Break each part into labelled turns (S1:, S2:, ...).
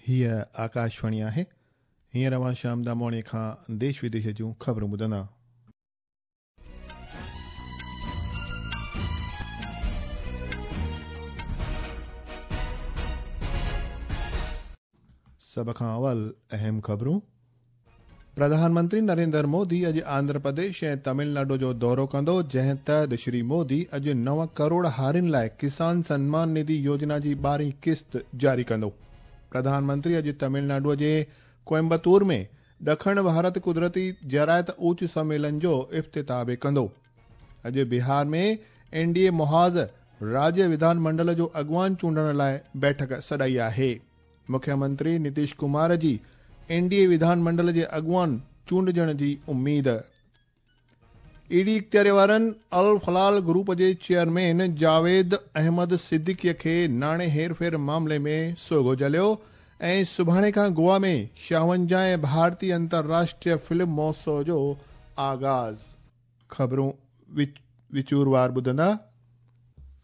S1: هيء آڪاشواڻي آهي. هينئر اوهان شيام دامواڻيء کان ديش وديش جون خبرون ٻڌندا. سڀ کان اول اهم خبرون. پرڌان منتري نريندر مودي اڄ آنڌرا پرديش ۽ تامل ناڊو جو دورو ڪندو، جنهن تحت شري مودي اڄ 9 ڪروڙ هارين لاء ڪسان سنمان نڌي يوجنا جي ٻارهين قسط جاري ڪندو. پرڌان منتري اڄ تامل ناڊو جي ڪوئمبتور ۾ ڏکڻ ڀارت قدرتي زراعت اوچ سميلن جو افتتاح به ڪندو. اڄ بهار ۾ اين ڊي اي محاذ راجيه وڌان منڊل جو اڳواڻ چونڊڻ لاء بيٺڪ سڏائي آهي. مکيه منتري نتيش ڪمار جي اين ڊي اي وڌان منڊل جي اڳواڻ چونڊجڻ جي اميد. اي ڊي اختياري وارن الفلال گروپ جي چيئرمين جاويد احمد صديقي کي ناڻي هيرڦير معاملي ۾ سوگهو جهليو ۽ سڀاڻي کان گوا ۾ شاونجاهين ڀارتي انترراشٽريه فلم مهوتسو جو آغاز. خبرون وچوروار ٻڌندا.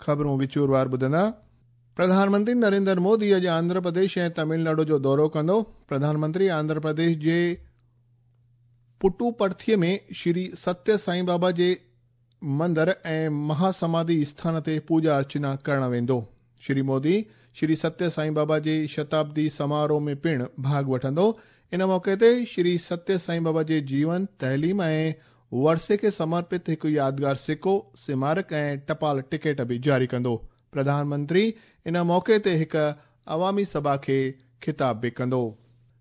S1: خبرون وچوروار ٻڌندا. پرڌان منتري نريندر مودي اڄ آنڌرا پرديش ۽ تامل ناڊو جو دورو ڪندو. پرڌان منتري آنڌرا پرديش جي پٽوپرٿي ۾ شري ستيه سائين بابا جي مندر ۽ مها سماڌي اسٿان تي پوڄا ارچنا ڪرڻ ويندو. شري مودي شري ستيه سائين بابا جي شتابدي سماروهه ۾ پڻ ڀاڳ وٺندو. ان موقعي تي شري ستيه سائين بابا جي جيون، تعليم ۽ ورثي کي سمرپت هڪ يادگار سڪو، سمارڪ ۽ ٽپال ٽڪيٽ به جاري ڪندو. پرڌان منتري ان موقعي تي هڪ عوامي سڀا کي خطاب به ڪندو.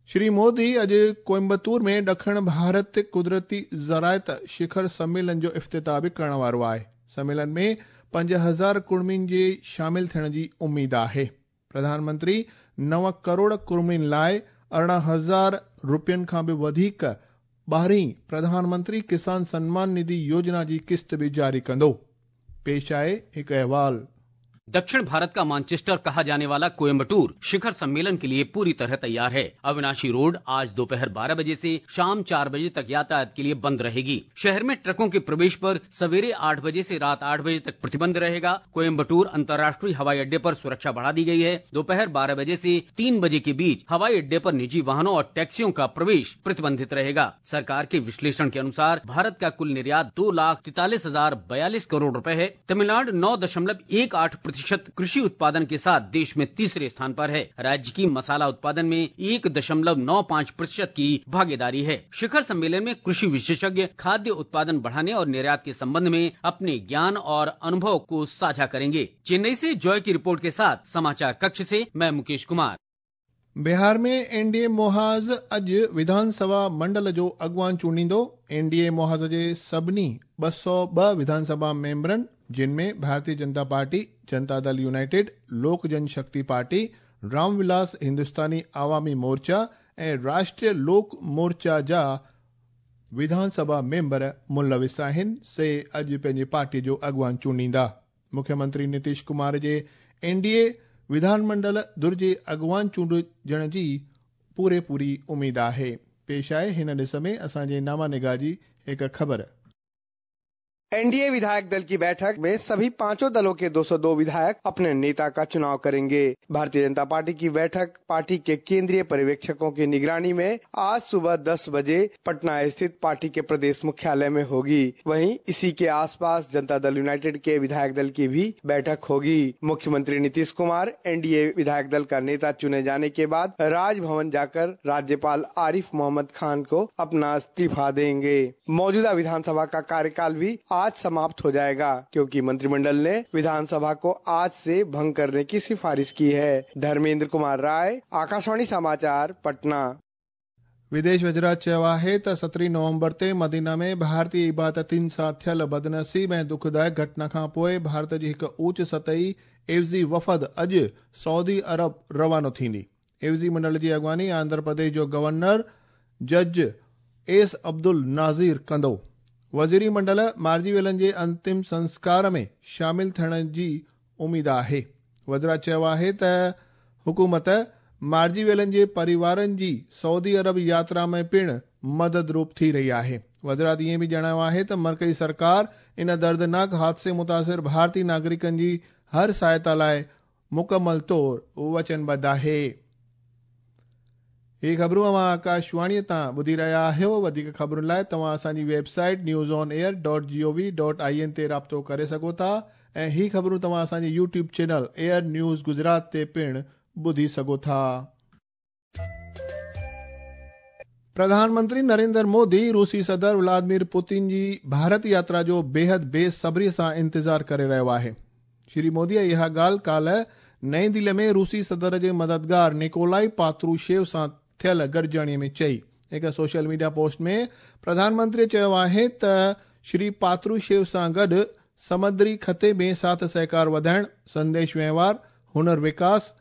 S1: شري مودي اڄ ڪوئمبتور ۾ ڏکڻ ڀارت قدرتي زراعت شکر سميلن جو افتتاح به ڪرڻ وارو آهي. سميلن ۾ 5000 ڪڙمين جي شامل ٿيڻ جي اميد آهي. پرڌان منتري 9 ڪروڙ ڪڙمين لاء 18,000 رپين کان به وڌيڪ ٻارهين پرڌان منتري ڪسان سنمان نڌي يوجنا جي قسط به جاري ڪندو. پيش آهي هڪ احوال.
S2: दक्षिण भारत का मानचेस्टर कहा जाने वाला कोयम्बटूर शिखर सम्मेलन के लिए पूरी तरह तैयार है। अविनाशी रोड आज दोपहर 12 बजे से शाम 4 बजे तक यातायात के लिए बंद रहेगी। शहर में ट्रकों के प्रवेश पर सवेरे 8 बजे से रात 8 बजे तक प्रतिबंध रहेगा। कोयम्बटूर अंतर्राष्ट्रीय हवाई अड्डे पर सुरक्षा बढ़ा दी गई है। दोपहर 12 बजे से 3 बजे के बीच हवाई अड्डे पर निजी वाहनों और टैक्सियों का प्रवेश प्रतिबंधित रहेगा। सरकार के विश्लेषण के अनुसार भारत का कुल निर्यात 2,43,042 करोड़ रुपए है। तमिलनाडु 9.18% कृषि उत्पादन के साथ देश में तीसरे स्थान पर है। राज्य की मसाला उत्पादन में 1.95% की भागीदारी है। शिखर सम्मेलन में कृषि विशेषज्ञ खाद्य उत्पादन बढ़ाने और निर्यात के संबंध में अपने ज्ञान और अनुभव को साझा करेंगे। चेन्नई से जॉय की रिपोर्ट के साथ समाचार कक्ष से मैं मुकेश कुमार।
S1: बिहार में एन डी ए मुहाज़ अॼु विधानसभा मंडल जो अॻुवान चूंडींदो। एन डी ए मुहाज़ जे सभिनी 202 विधानसभा मेंबरनि, जिन में भारतीय जनता पार्टी, जनता दल यूनाइटेड, लोक जन शक्ति पार्टी, रामविलास हिंदुस्तानी आवामी मोर्चा ऐं राष्ट्रीय लोक मोर्चा जा विधानसभा मेंबर मुलविस आहिनि, से अॼु पंहिंजी पार्टी जो अॻुवान चूंडींदा। मुख्यमंत्री नीतीश कुमार जे एन डी ए विधानमंडल धुर जे अॻुवान चूंडजण जी पूरे पूरी उम्मीद आहे। पेश आहे हिन ॾिस में असांजे नामा निगाह जी हिकु ख़बर।
S3: एनडीए विधायक दल की बैठक में सभी पांचों दलों के 202 विधायक अपने नेता का चुनाव करेंगे। भारतीय जनता पार्टी की बैठक पार्टी के केंद्रीय पर्यवेक्षकों की निगरानी में आज सुबह 10 बजे पटना स्थित पार्टी के प्रदेश मुख्यालय में होगी। वहीं इसी के आसपास जनता दल यूनाइटेड के विधायक दल की भी बैठक होगी। मुख्यमंत्री नीतीश कुमार एनडीए विधायक दल का नेता चुने जाने के बाद राजभवन जाकर राज्यपाल आरिफ मोहम्मद खान को अपना इस्तीफा देंगे। मौजूदा विधानसभा का कार्यकाल भी आज समाप्त हो जाएगा, क्योंकि मंत्रिमंडल ने विधानसभा को आज से भंग करने की सिफारिश की है। धर्मेंद्र कुमार राय, आकाशवाणी समाचार, पटना।
S1: विदेश वज़रात चयो आहे त 17 नवंबर ते मदीना में भारतीय इबादतियुनि सां थियल बदनसीब ऐं दुखदायक घटना खां पोइ भारत जी हिकु ऊच सतही एवज़ी वफ़द अॼु सऊदी अरब रवानो थींदी। एवज़ी मंडल जी अॻुवानी आंध्र प्रदेश जो गवर्नर जज एस अब्दुल नाज़ीर कंदो। वज़ीरी मंडल मारिजी वियलनि जे अंतिम संस्कार में शामिल थियण जी उम्मीद आहे। वज़रा चयो आहे त हुकूमत मारिजी वियलनि जे परिवारनि जी सऊदी अरब यात्रा में पिण मदद रूप थी रही आहे। वज़रात ईअं बि ॼाणायो आहे त मर्कज़ी सरकार इन दर्दनाक हादसे मुतासिर भारतीय नागरिकनि जी हर सहायता लाइ मुकमल तौर वचनबद्ध आहे। هي خبرون اوهان آڪاشواڻيء تان ٻڌي رهيا آهيو. وڌيڪ خبرن لاء توهان اسان جي website news on air dot G O V dot I N تي رابطو ڪري سگهو ٿا ۽ هي خبرون توهان اسان جي YouTube channel AIR news Gujarat تي پڻ ٻڌي سگهو ٿا. پرڌان منتري نريندر مودي روسي صدر ولادمير پوتين جي ڀارت ياترا جو بيحد بي صبري سان انتظار ڪري رهيو آهي. شري مودي اها ڳالهه ڪالهه نئين دهلي ۾ روسي صدر جي مددگار نڪولائي پاتروشيو سان ٿيل گڏجاڻي ۾ چئي. هڪ social media post ۾ Pradhan Mantri چيو آهي ته شري پاتروشيو سان گڏ سمندري خطي ۾ ساٿ سهڪار وڌائڻ، سنديش وهنوار، هنر وڪاس،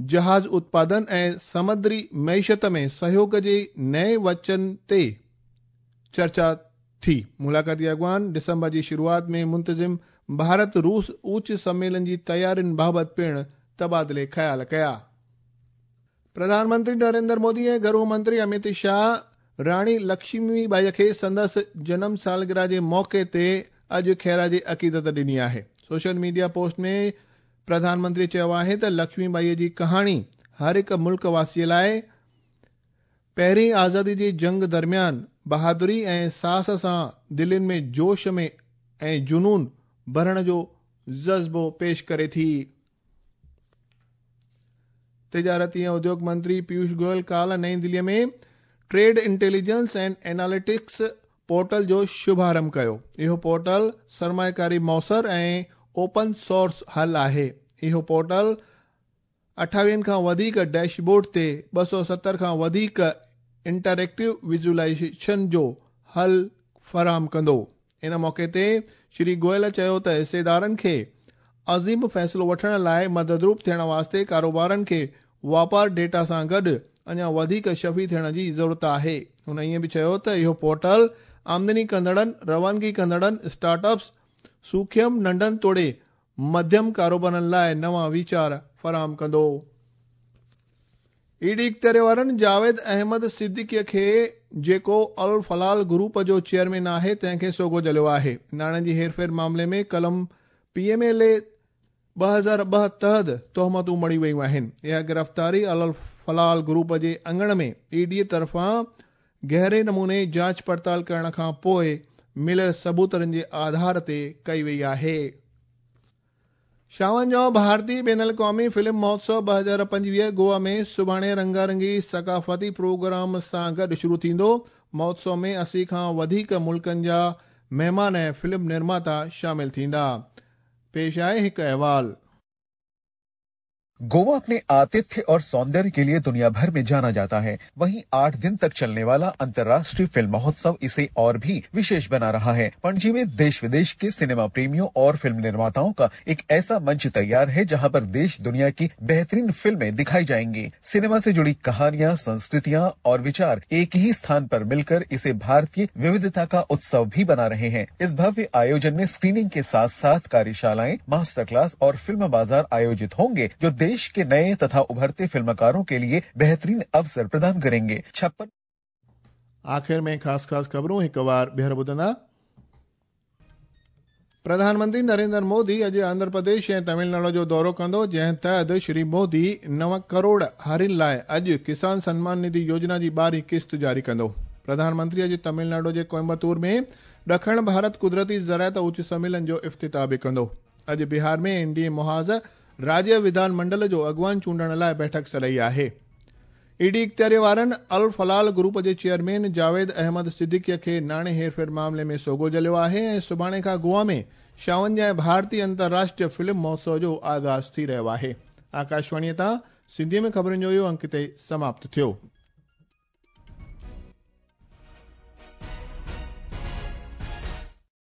S1: جهاز اتپادن ۽ سمندري معيشت ۾ سهيوڳ جي نئين وچن تي چرچا ٿي. ملاقاتي اڳواڻ ڊسمبر جي شروعات ۾ منتظم ڀارت روس اوچ سميلن جي تيارين بابت پڻ تبادلي خيال ڪيا. پرڌان منتري نريندر مودي ۽ گهرو منتري اميت شاهه راڻي لڪشمي ٻائي کي سندس جنم سالگرهه جي موقعي تي اڄ خراج عقيدت ڏني آهي. Social media post ۾ Pradhan Mantri چيو آهي ته لڪشمي ٻائي جي ڪهاڻي هر هڪ ملڪ واسي لاء پهرين آزادي جي جنگ درميان بهادري ۽ ساهس سان دلين ۾ جوش ۾ ۽ جنون ڀرڻ جو جذبو پيش ڪري ٿي. تجارتي ۽ اديوگ منتري پيوش گويل ڪالهه نئين Delhi ۾ trade intelligence and analytics portal جو شڀارنڀ ڪيو. اهو پورٽل سرمائيڪاري موثر ۽ اوپن سورس حل آهي. اهو پورٽل 28 کان وڌيڪ ڊيش بورڊ تي 270 کان وڌيڪ انٽريڪٽو ويزوئلائيزيشن جو حل فراهم ڪندو. ان موقعي تي شري گويل چيو ته حصيدارن کي عظيم فيصلو وٺڻ لاء مددروپ ٿيڻ واسطي ڪاروبارن کي واپار ڊيٽا سان گڏ اڃا وڌيڪ شفي ٿيڻ جي ضرورت آهي. هن ائين به چيو ته اهو پورٽل آمدني ڪندڙن، روانگي ڪندڙن، اسٽارٽ اپس، سوکيم، ننڍن توڙي مڌيم ڪاروبارن لاء نوان ويچار فراهم ڪندو. اي ڊي اختياري وارن جاويد احمد صديقي کي جيڪو الفلال گروپ جو چيئرمين آهي تنهن کي سوگهو جهليو آهي. ناڻي جي هيرڦير معاملي ۾ قلم پي ايم ايل اي 2002 تحت تهمتون مڙهيون ويون آهن. اها گرفتاري الفلال گروپ جي اڱڻ ۾ اي ڊي طرفان گهري نموني جاچ پڙتال ڪرڻ کان پوء مليل ثبوتن جي آڌار تي ڪئي وئي آهي. ڇاونجاهون ڀارتي بين الاقوامي فلم مهوتسو 2025 گوا ۾ سڀاڻي رنگارنگي ثقافتي پروگرام سان گڏ شروع ٿيندو. مهوتسو ۾ 80 کان وڌيڪ ملڪن جا مهمان ۽ فلم نرماتا شامل ٿيندا. پيش آهي هڪ احوال.
S4: गोवा अपने आतिथ्य और सौंदर्य के लिए दुनिया भर में जाना जाता है। वहीं 8 दिन तक चलने वाला अंतर्राष्ट्रीय फिल्म महोत्सव इसे और भी विशेष बना रहा है। पणजी में देश विदेश के सिनेमा प्रेमियों और फिल्म निर्माताओं का एक ऐसा मंच तैयार है जहां पर देश दुनिया की बेहतरीन फिल्में दिखाई जाएंगी। सिनेमा से जुड़ी कहानियां, संस्कृतियां और विचार एक ही स्थान पर मिलकर इसे भारतीय विविधता का उत्सव भी बना रहे हैं। इस भव्य आयोजन में स्क्रीनिंग के साथ साथ कार्यशालाएं, मास्टर क्लास और फिल्म बाजार आयोजित होंगे, जो देश के नए तथा उभरते फिल्मकारों के लिए बेहतरीन अवसर प्रदान करेंगे। 56
S1: आख़िर में ख़ासि ख़ासि ख़बरूं हिकु वार ॿीहर ॿुधंदा। प्रधानमंत्री नरेंद्र मोदी अॼु आंध्र प्रदेश ऐं तमिलनाडु जो दौरो कंदो, जंहिं तहत श्री मोदी 9 करोड़ हारियुनि लाइ अॼु किसान सन्मान निधि योजना जी 12हीं किस्त जारी कंदो। प्रधानमंत्री अॼु तमिलनाडु जे कोयम्बतूर में ॾखण भारत कुदरती ज़राअत उच्च सम्मेलन जो इफ़्तिताह बि कंदो। अॼु बिहार में एन डी ए मुहाज़ राज्य विधान मंडल जो अॻवान चूंडण लाइ बैठक सॾाई आहे। ई डी इख़्तियारी वारनि अल फलाल ग्रुप जे चेयरमैन जावेद अहमद सिद्दीकी खे नाणे हेरफेर मामले में सोगो जलियो आहे ऐं सुभाणे खां गोवा में 56 भारतीय अंतर्राष्ट्रीय फिल्म महोत्सव जो आगाज़ थी रहियो आहे। आकाशवाणीअ तां सिंधीअ में ख़बरुनि जो इहो अंक हिते समाप्त थियो।